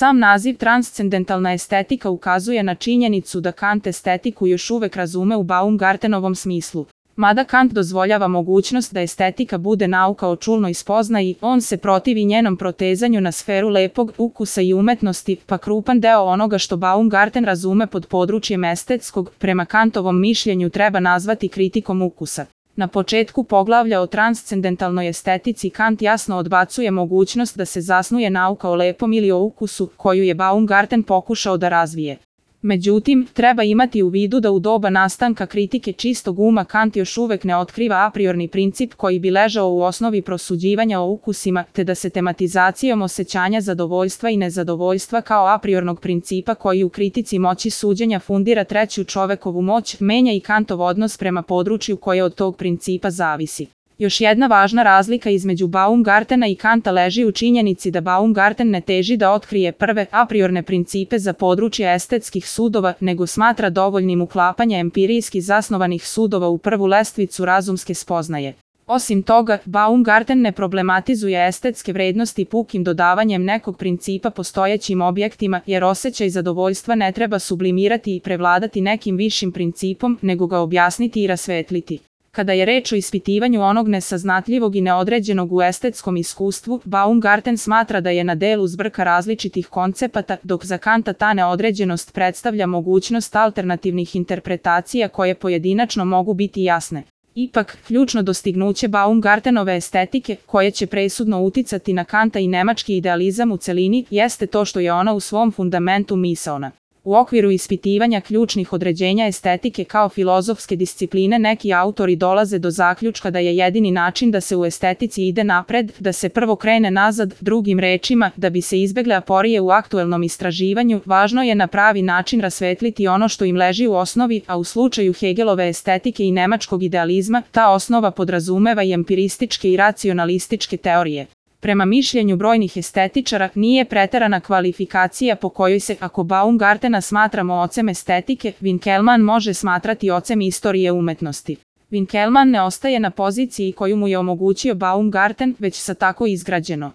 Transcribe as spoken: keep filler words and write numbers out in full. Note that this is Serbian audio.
Sam naziv transcendentalna estetika ukazuje na činjenicu da Kant estetiku još uvek razume u Baumgartenovom smislu. Mada Kant dozvoljava mogućnost da estetika bude nauka o čulnoj spoznaji, on se protivi njenom protezanju na sferu lepog ukusa i umetnosti, pa krupan deo onoga što Baumgarten razume pod područjem estetskog, prema Kantovom mišljenju treba nazvati kritikom ukusa. Na početku poglavlja o transcendentalnoj estetici Kant jasno odbacuje mogućnost da se zasnuje nauka o lepom ili o ukusu, koju je Baumgarten pokušao da razvije. Međutim, treba imati u vidu da u doba nastanka kritike čistog uma Kant još uvek ne otkriva a priorni princip koji bi ležao u osnovi prosuđivanja o ukusima, te da se tematizacijom osjećanja zadovoljstva i nezadovoljstva kao a priornog principa koji u kritici moći suđenja fundira treću čovekovu moć, menja i Kantov odnos prema području koje od tog principa zavisi. Još jedna važna razlika između Baumgartena i Kanta leži u činjenici da Baumgarten ne teži da otkrije prve a priorne principe za područje estetskih sudova, nego smatra dovoljnim uklapanje empirijski zasnovanih sudova u prvu lestvicu razumske spoznaje. Osim toga, Baumgarten ne problematizuje estetske vrednosti pukim dodavanjem nekog principa postojećim objektima, jer osjećaj zadovoljstva ne treba sublimirati i prevladati nekim višim principom, nego ga objasniti i rasvetliti. Kada je reč o ispitivanju onog nesaznatljivog i neodređenog u estetskom iskustvu, Baumgarten smatra da je na delu zbrka različitih koncepata, dok za Kanta ta neodređenost predstavlja mogućnost alternativnih interpretacija koje pojedinačno mogu biti jasne. Ipak, ključno dostignuće Baumgartenove estetike, koje će presudno uticati na Kanta i nemački idealizam u celini, jeste to što je ona u svom fundamentu misaona. U okviru ispitivanja ključnih određenja estetike kao filozofske discipline neki autori dolaze do zaključka da je jedini način da se u estetici ide napred, da se prvo krene nazad, drugim rečima, da bi se izbegle aporije u aktuelnom istraživanju, važno je na pravi način rasvetliti ono što im leži u osnovi, a u slučaju Hegelove estetike i nemačkog idealizma, ta osnova podrazumeva i empirističke i racionalističke teorije. Prema mišljenju brojnih estetičara, nije preterana kvalifikacija po kojoj se, ako Baumgartena smatramo ocem estetike, Winkelmann može smatrati ocem istorije umetnosti. Winkelmann ne ostaje na poziciji koju mu je omogućio Baumgarten, već sa tako izgrađeno